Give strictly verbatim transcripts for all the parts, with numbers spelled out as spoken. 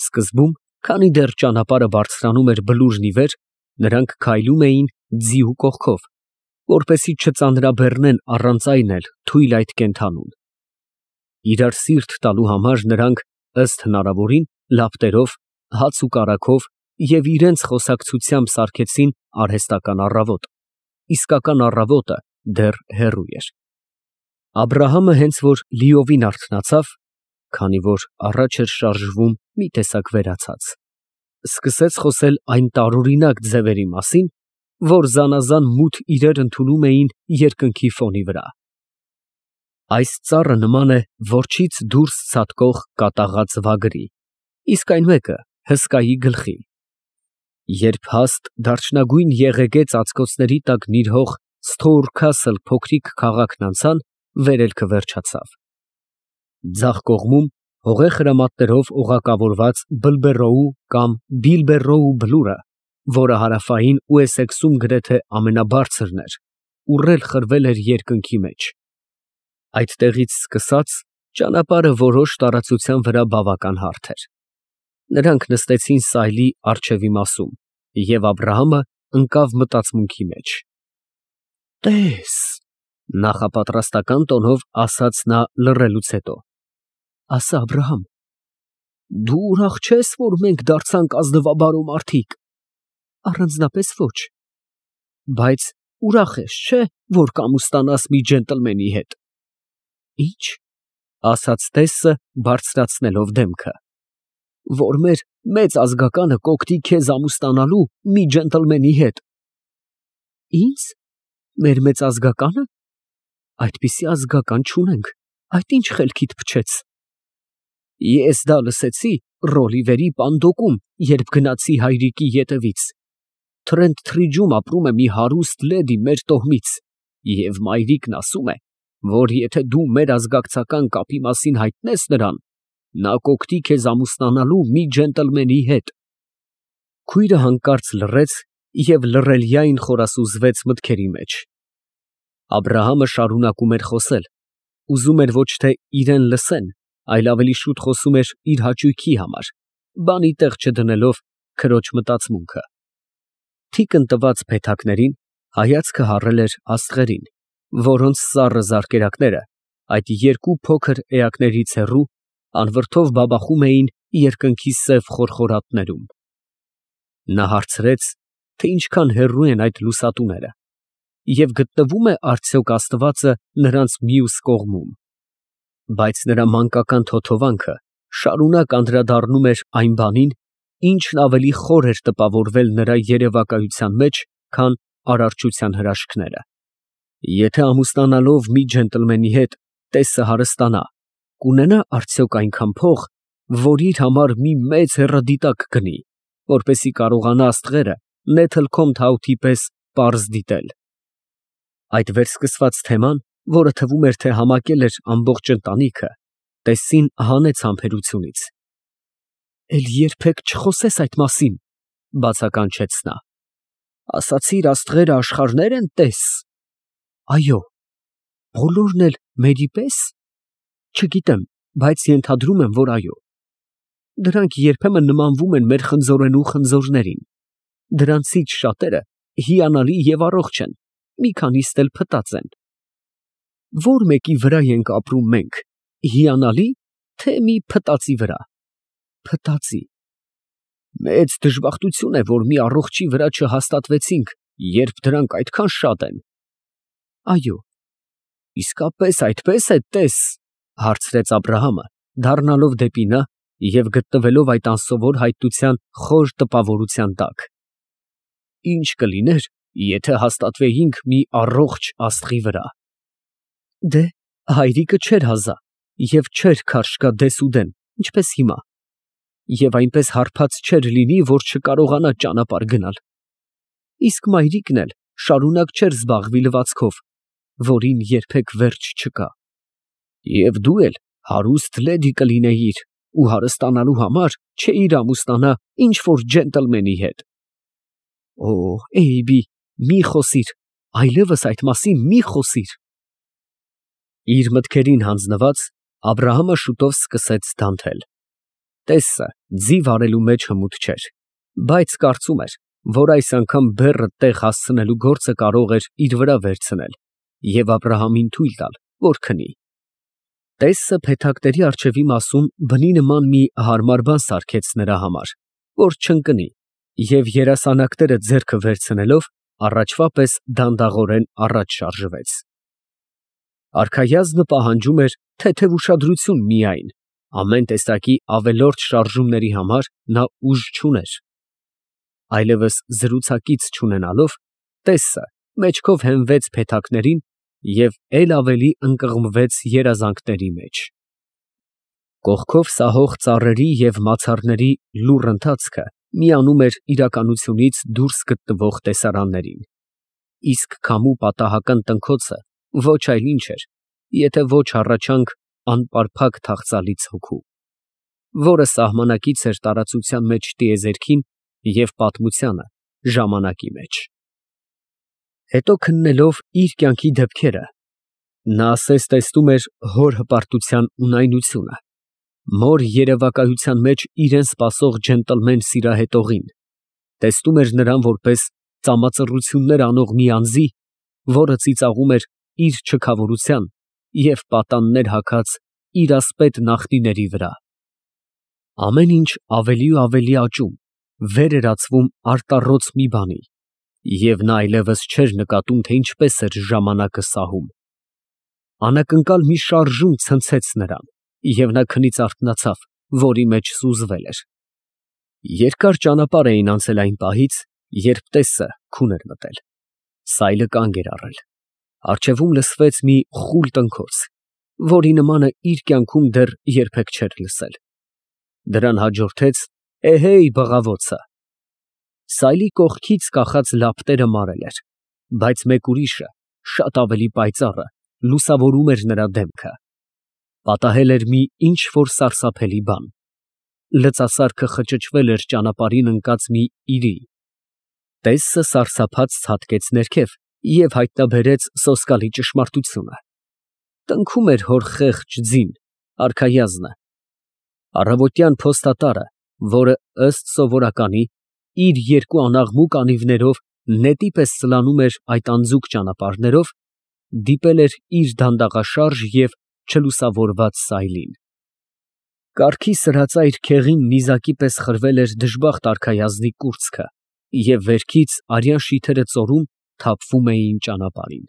Սկզբում, քանի դեռ ճանապարհը բարձրանում էր բլուրն ի վեր, նրանք քայլում էին ձիու կողքով, որպեսզի չծանրաբեռնեն առանց այն էլ թույլ այդ կենդանուն. իրար սիրտ տալու համար նրանք, ըստ հնարավորին, լապտերով, հաց ու կարագով և իրենց խոսակցությամբ սարքեցին արհեստական առավոտ, իսկական առավոտը դեռ հեռու էր։ Աբրահամը հենց որ լիովին արթնացավ, քանի որ առաջ էր շարժվում մի տեսակ վերացած, սկսեց խոսել այն տարօրինակ ձևերի մասին, որ զանազան մութ իրեր ընդունում էին երկնքի ֆոնի վրա։ Այս ծառը նման է որջից դուրս ցատկող կատաղած վագրի, իսկ այն մեկը հսկայի գլխի։ Երբ հաստ դարչնագույն եղեգե ծածկոցների տակ նիրհող Սթոռքասլ փոքրիկ քաղաքն անցան, վերելքը վերջացավ։ Ձախ կողմում հողե խրամատներով օղակավորված Բլբերրոու կամ Բիլբերրոու բլուրը, որը հարավային Ուեսեքսում գրեթե ամենաբարձրն էր, ուռել խրվել էր երկնքի մեջ։ Այդտեղից սկսած ճանապարհը որոշ տարածության վրա բավական հարթ էր։ Նրանք նստեցին սայլի առջևի մասում, և Աբրահամը ընկավ մտածմունքի մեջ։ «Տես», նախապատրաստական տոնով ասաց նա լռելուց հետո, «ասա, Աբրահամ, դու ուրախ չե՞ս, որ մենք դարձանք ազնվաբարո մարդիկ։ Առանձնապես ոչ։ Բայց ուրախ ես, չէ՞, որ կամուստանաս մի ջենտլմենի հետ։ Ի՞նչ, ասաց տեսը բարձրացնելով դեմքը, որ մեր մեծ ազգականը կօգնի քեզ ամուսնանալու մի ջենտլմենի հետ։ Ի՞նձ, մեր մեծ ազգակա՞նը։ Այդպիսի ազգական չունենք, այդ ի՞նչ խելքիդ փչեց։ Ես դա լսեցի Ռոլիվերի Պանդոկում, երբ գնացի հայրիկի ետևից։ Թրենթ Թրիջում ապրում է մի հարուստ լեդի մեր տոհմից, և մայրիկն ասում է, որ եթե դու մեր ազգակցական կապի մասին հայտնես նրան, նա կօգնի քեզ ամուսնանալու մի ջենտլմենի հետ։ Քույրը հանկարծ լռեց և լռելյային խորասուզվեց մտքերի մեջ։ Աբրահամը շարունակում էր խոսել, ուզում էր ոչ թե իրեն լսեն, այլ ավելի շուտ խոսում էր իր հաճույքի համար, բանի տեղ չդնելով քրոջ մտածմունքը։ Թիկն տված փեթակներին հայացքը հառել էր աստղերին, որոնց սառը զարկերակները այդ երկու փոքր էակներից հեռու անվրդով բաբախում էին երկնքի սև խորխորատներում։ Նա հարցրեց, թե ինչքան հեռու են այդ լուսատուները, և գտնվո՞ւմ է արդյոք Աստվածը նրանց մյուս կողմում։ Բայց նրա մանկական թոթովանքը շարունակ անդրադառնում էր այն բանին, ինչն ավելի խոր էր տպավորվել նրա երևակայության մեջ, քան արարչության հրաշքները։ Եթե ամուսնանալով մի ջենտլմենի հետ տեսը հարստանա, կունենա արդյոք այնքան փող, որ իր համար մի մեծ հեռադիտակ գնի, որպեսզի կարողանա աստղերը Նեթլքոմթ պես պարզ դիտել։ Այդ վերսկսված թեման, որը թվում էր, թե համակել էր ամբողջ ընտանիքը, տեսին հանեց համբերությունից։ Էլ երբեք չխոսես այդ մասին, բացականչեց նա։ Ասացիր աստղերը աշխարհներ են, տես։ Այո, բոլորն էլ մերի պես։ Չգիտեմ, բայց ենթադրում եմ, որ այո։ Դրանք երբեմն նմանվում են մեր խնձորենու խնձորներին։ Դրանցից շատերը հիանալի և առողջ են, մի քանիստ էլ փտած են։ Ո՞ր մեկի վրա ենք ապրում մենք, հիանալի, թե մի փտածի վրա։ Փտածի։ Մեծ դժբախտություն է, որ մի առողջի վրա չհաստատվեցինք, երբ դրանք այդքան շատ են։ Այո, իսկապես այդպես է, տես, հարցրեց Աբրահամը, դառնալով դեպի նա և գտնվելով այդ անսովոր հայտնության խոր տպավորության տակ։ Ինչ կլիներ, եթե հաստատվեինք մի առողջ աստղի վրա։ Դե, հայրիկը չէր հազա և չէր քարշ գա դեսուդեն, ինչպես հիմա, և այնպես հարբած չէր լինի, որ չկարողանա ճանապարհ գնալ։ Իսկ մայրիկն էլ շարունակ չէր զբաղվի լվացքով, որին երբեք վերջ չկա։ Եվ դու էլ հարուստ լեդի կլինեիր ու հարստանալու համար չէիր ամուսնանա ինչ որ ջենտլմենի հետ։ Օ, Էյբի, մի խոսիր, այլևս այդ մասին մի խոսիր։ Իր մտքերին հանձնված, Աբրահամը շուտով սկսեց դանթել։ Տեսը ձիվ արելու մեջ հմուտ չէր, բայց կարծում էր, որ այս անգամ բեռը տեղ հասցնելու գործը կարող էր իր վրա վերցնել և Աբրահամին թույլ տալ, որ քնի։ Տեսը փեթակների առջևի մասում բնի նման մի հարմար բան սարքեց նրա համար, որ չընկնի, և երասանակները ձեռքը վերցնելով առաջվա պես դանդաղորեն առաջ շարժվեց։ Արքայազնը պահանջում էր թեթև ուշադրություն միայն, ամեն տեսակի ավելորդ շարժումների համար նա ուժ չուներ։ Այլևս զրուցակից չունենալով, տեսը մեջքով հենվեց փեթակներին և էլ ավելի ընկղմվեց երազանքների մեջ։ Կողքով սահող ծառերի և մացառների լուռ ընթացքը միանում էր իրականությունից դուրս գտնվող տեսարաններին, իսկ քամու պատահական տնքոցը ոչ այլ ինչ էր, եթե ոչ հառաչանք անպարփակ թախծալից հոգու, որը սահմանակից էր տարածության մեջ տիեզերքին և պատմությանը ժամանակի մեջ։ Հետո քննելով իր կյանքի դեպքերը, նա ասես տեսնում էր հոր հպարտության ունայնությունը, մոր երևակայության մեջ իրան սպասող ջենտլմեն սիրահետողին, տեսնում էր նրան որպես ծամածռություններ անող մի անձի, որը ծիծաղում էր իր չքավորության և պատաններ հագած իր ասպետ նախնիների վրա։ Ամեն ինչ ավելի ու ավելի աճում, վեր էր ածվում արտառոց մի բանի, և նա այլևս չէր նկատում, թե ինչպես էր ժամանակը սահում։ Անակնկալ մի շարժում ցնցեց նրան, և նա քնից արթնացավ, որի մեջ սուզվել էր։ Երկար ճանապարհ էին անցել այն պահից, երբ տեսը քուն էր մտել, սայլը կանգ էր առել, առջևում լսվեց մի խուլ տնքոց, որի նմանը իր կյանքում դեռ երբեք չէր լսել։ Դրան հաջորդեց «էհեյ» բղավոցը։ Սայլի կողքից կախած լապտերը մարել էր, բայց մեկ ուրիշը, շատ ավելի պայծառը, լուսավորում էր նրա դեմքը։ Պատահել էր մի ինչ֊որ սարսափելի բան։ Լծասարքը խճճվել էր ճանապարհին ընկած մի իրի։ Տեսը սարսափած ցատկեց ներքև և հայտնաբերեց սոսկալի ճշմարտությունը։ Տնքում էր հոր խեղճ ձին, արքայազնը։ Առավոտյան փոստատարը, որը, ըստ սովորականի, իր երկու անաղմուկ անիվներով նետի պես սլանում էր այդ անձուկ ճանապարհներով, դիպել էր իր դանդաղաշարժ և չլուսավորված սայլին։ Կառքի սրածայր քեղին նիզակի պես խրվել էր դժբախտ արքայազնի կուրծքը, և վերքից արյան շիթերը ծորում թափվում էին ճանապարհին։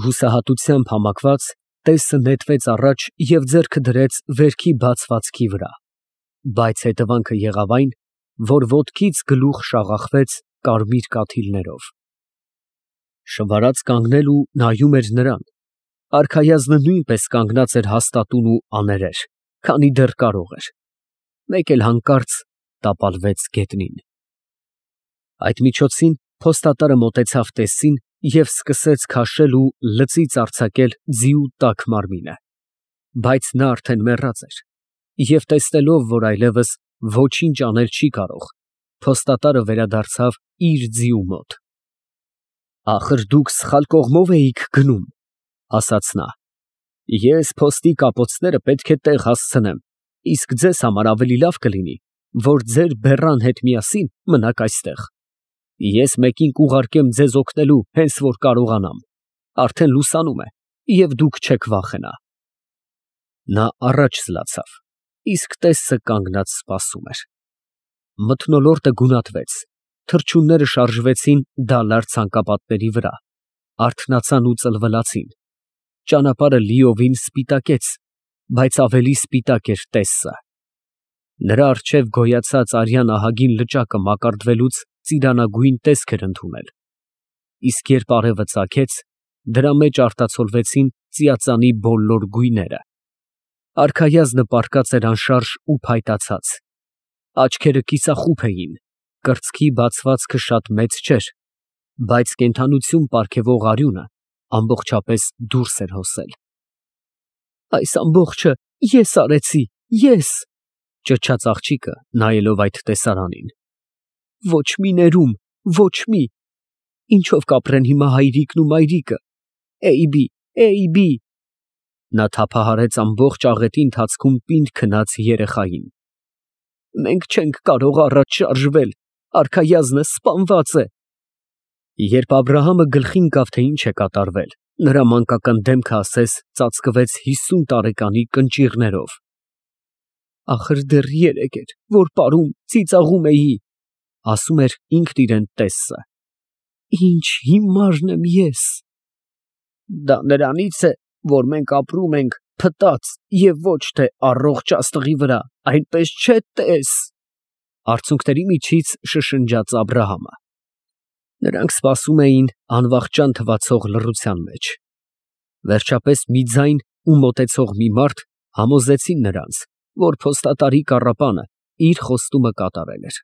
Հուսահատությամբ համակված, տեսը նետվեց առաջ և ձեռքը դրեց վերքի բացվածքի վրա, բայց հետևանքը եղավ այն, որ ոտքից գլուխ շաղախվեց կարմիր կաթիլներով։ Շվարած կանգնել ու նայում էր նրան, արքայազնը նույնպես կանգնած էր հաստատուն ու աներեր, քանի դեռ կարող էր, մեկ էլ հանկարծ տապալվեց գետնին։ Այդ միջոցին փոստատարը մոտեցավ տեսին և սկսեց քաշել ու լծից արձակել ձիու տաք մարմինը, բայց նա արդեն մեռած էր, և տեսնելով, որ այլևս ոչինչ անել չի կարող, փոստատարը վերադարձավ իր ձիու մոտ։ «Ախր դուք սխալ կողմով էիք գնում, ֊ ասաց նա, ֊ ես փոստի կապոցները պետք է տեղ հասցնեմ, իսկ ձեզ համար ավելի լավ կլինի, որ ձեր բեռան հետ միասին մնաք այստեղ։ Ես մեկին կուղարկեմ ձեզ օգնելու, հենց որ կարողանամ, արդեն լուսանում է, և դուք չեք վախենա»։ Նա առաջ զլացավ, իսկ տեսը կանգնած սպասում էր։ Մթնոլորտը գունատվեց, թռչունները շարժվեցին դալար ցանկապատների վրա, արթնացան ու ծլվլացին, ճանապարհը լիովին սպիտակեց, բայց ավելի սպիտակ էր տեսը։ Նրա առջև գոյացած արյան ահագին լճակը մակարդվելուց ծիրանագույն տեսք էր ընդունել, իսկ երբ արևը ծագեց, դրա մեջ արտացոլվեցին ծիածանի բոլոր գույները։ Արքայազնը պառկած էր անշարժ ու փայտացած, աչքերը կիսախուփ էին, կրծքի բացվածքը շատ մեծ չէր, բայց կենդանություն պարգևող արյունը ամբողջապես դուրս էր հոսել։ «Այս ամբողջը ես արեցի, ես, ֊ ճչաց աղջիկը, նայելով այդ տեսարանին, ֊ ոչ մի ներում, ոչ մի, ինչով կապրեն հիմա հայրիկն ու մայրիկը, Էյբի, Էյբի…»։ Նա թափահարեց ամբողջ աղետի ընթացքում պինդ քնած երեխային, Մենք չենք կարող առաջ շարժվել, արքայազնը սպանված է։ Երբ Աբրահամը գլխին կավ, թե ինչ է կատարվել, նրա մանկական դեմքը ասես ծածկվեց հիսուն տարեկանի կնճիռներով։ Ախր դեռ երեկ էր, որ պարում, ծիծաղում էի, ասում էր ինքն իրեն տեսը։ Ինչ հիմարն եմ ես։ Դա նրանից է, որ մենք ապրում ենք փտած և ոչ թե առողջ աստղի վրա, այնպես չէ, տես։ Արցունքների միջից շշնջաց Աբրահամը։ Նրանք սպասում էին անվախճան թվացող լռության մեջ։ Վերջապես մի ձայն ու մոտեցող մի մարդ համոզեցին նրանց, որ փոստատարի կառապանը իր խոստումը կատարել էր։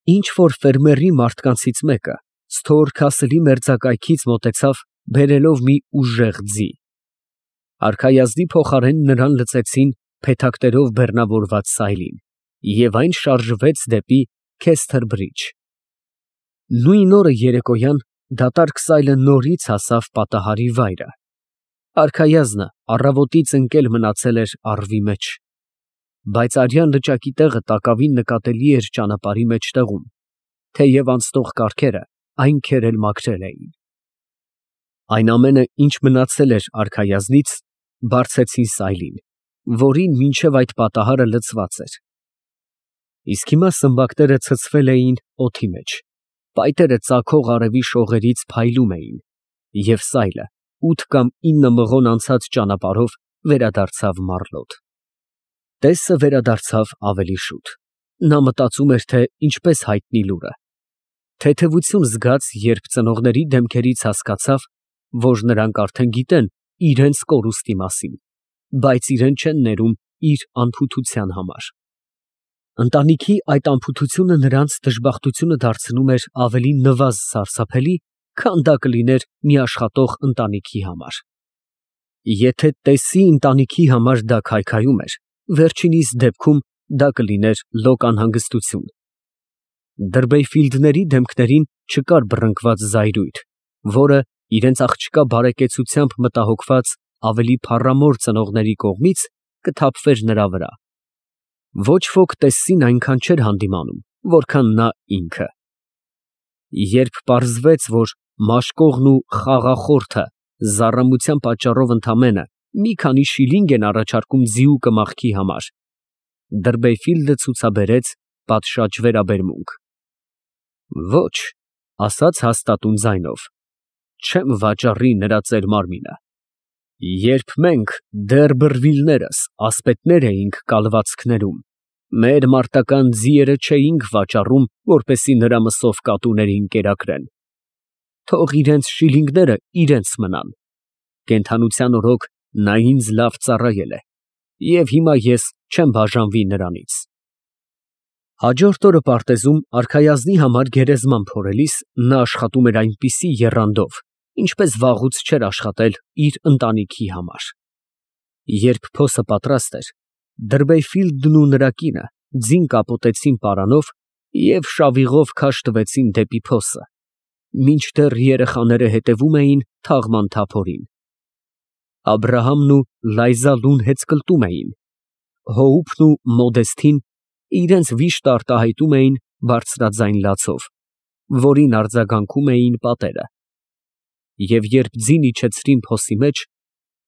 Ինչ որ ֆերմերի մարդկանցից մեկը ստոր քասլի մերձակայքից մոտեցավ, բերելով մի ուժեղ ձի։ Արքայազնի փոխարեն նրան լցեցին փեթակներով բեռնավորված սայլին, և այն շարժվեց դեպի Քեսթեր֊Բրիջ։ Նույն օրը երեկոյան դատարկ սայլը նորից հասավ պատահարի վայրը։ Արքայազնը առավոտից ընկել մնացել էր առվի մեջ, բայց արյան լճակի տեղը տակավին նկատելի էր ճանապարհի մեջտեղում, թեև անցնող կառքերը այն քերել մաքրել էին։ Այն ամենը, ինչ մնացել էր արքայազնից, բարձեցին սայլին, որին մինչև այդ պատահարը լցված էր։ Իսկ հիմա սմբակները ցցվել էին օդի մեջ, փայտերը ծագող արևի շողերից փայլում էին, և սայլը ութ կամ ինը մղոն անցած ճանապարհով վերադարձավ մառլոտ։ Տեսը վերադարձավ ավելի շուտ։ Նա մտածում էր, թե ինչպես հայտնի լուրը։ Թեթևություն զգաց, երբ ծնողների դեմքերից հասկացավ, որ նրանք արդեն գիտեն իրենց կորուստի մասին, բայց իրեն չեն ներում իր անփութության համար։ Ընտանիքի այդ անփութությունը նրանց դժբախտությունը դարձնում էր ավելի նվազ սարսափելի, քան դա կլիներ մի աշխատող ընտանիքի համար։ Եթե տեսի ընտանիքի համար դա քայքայում էր, վերջինիս դեպքում դա կլիներ լոկ անհանգստություն։ Դրբեյֆիլդների դեմքներին չկար բռնկված զայրույթ, որը իրենց աղջկա բարեկեցությամբ մտահոգված ավելի փառամոր ծնողների կողմից կթափվեր նրա վրա։ Ոչ ոք տեսին այնքան չէր հանդիմանում, որքան նա ինքը։ Երբ պարզվեց, որ մաշկողն ու խաղախորթը զառամության պատճառով ընդամենը մի քանի շիլինգ են առաջարկում ձիուկը մահքի համար, Դրբեյֆիլդը ցուցաբերեց պատշաճ վերաբերմունք։ Ոչ, ասաց հաստատուն ձայնով, չեմ վաճառի նրա ծեր մարմինը։ Երբ մենք դեռ բռվիլներս ասպետներ էինք կալվածքներում, մեր մարտական ձիերը չէինք վաճառում, որպեսզի նրա մսով կատուներին կերակրեն։ Թող իրենց շիլինգները իրենց մնան։ Կենդանության օրոք նա ինձ լավ ծառայել է, և հիմա ես չեմ բաժանվի նրանից։ Հաջորդ օրը պարտեզում արքայազնի համար գերեզման փորելիս նա աշխատում էր այնպիսի եռանդով, ինչպես վաղուց չէր աշխատել իր ընտանիքի համար։ Երբ փոսը պատրաստ էր, Դրբեյֆիլդն ու նրա կինը ձին կապոտեցին պարանով և շավիղով քաշ տվեցին դեպի փոսը, մինչդեռ երեխաները հետևում էին թաղման թափորին։ Աբրահամն ու Լայզա լուն հեծկլտում էին, Հոուփն ու Մոդեստին իրենց վիշտը արտահայտում էին բարձրաձայն լացով, որին արձագանքում էին պատերը։ Եվ երբ ձին իջեցրին փոսի մեջ,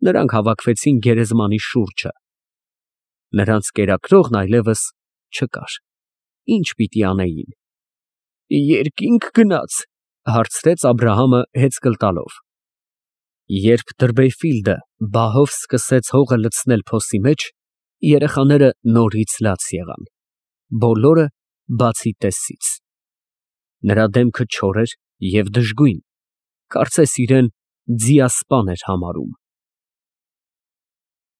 նրանք հավաքվեցին գերեզմանի շուրջը։ Նրանց կերակրողն այլևս չկար։ Ի՞նչ պիտի անեին։ Երկի՞նք գնաց, հարցրեց Աբրահամը հեծկլտալով։ Երբ Դրբեյֆիլդը բահով սկսեց հողը լցնել փոսի մեջ, երեխաները նորից լաց եղան, բոլորը բացի տեսից։ Նրա դեմքը չոր էր և դժգույն, կարծես իրեն ձիասպան էր համարում։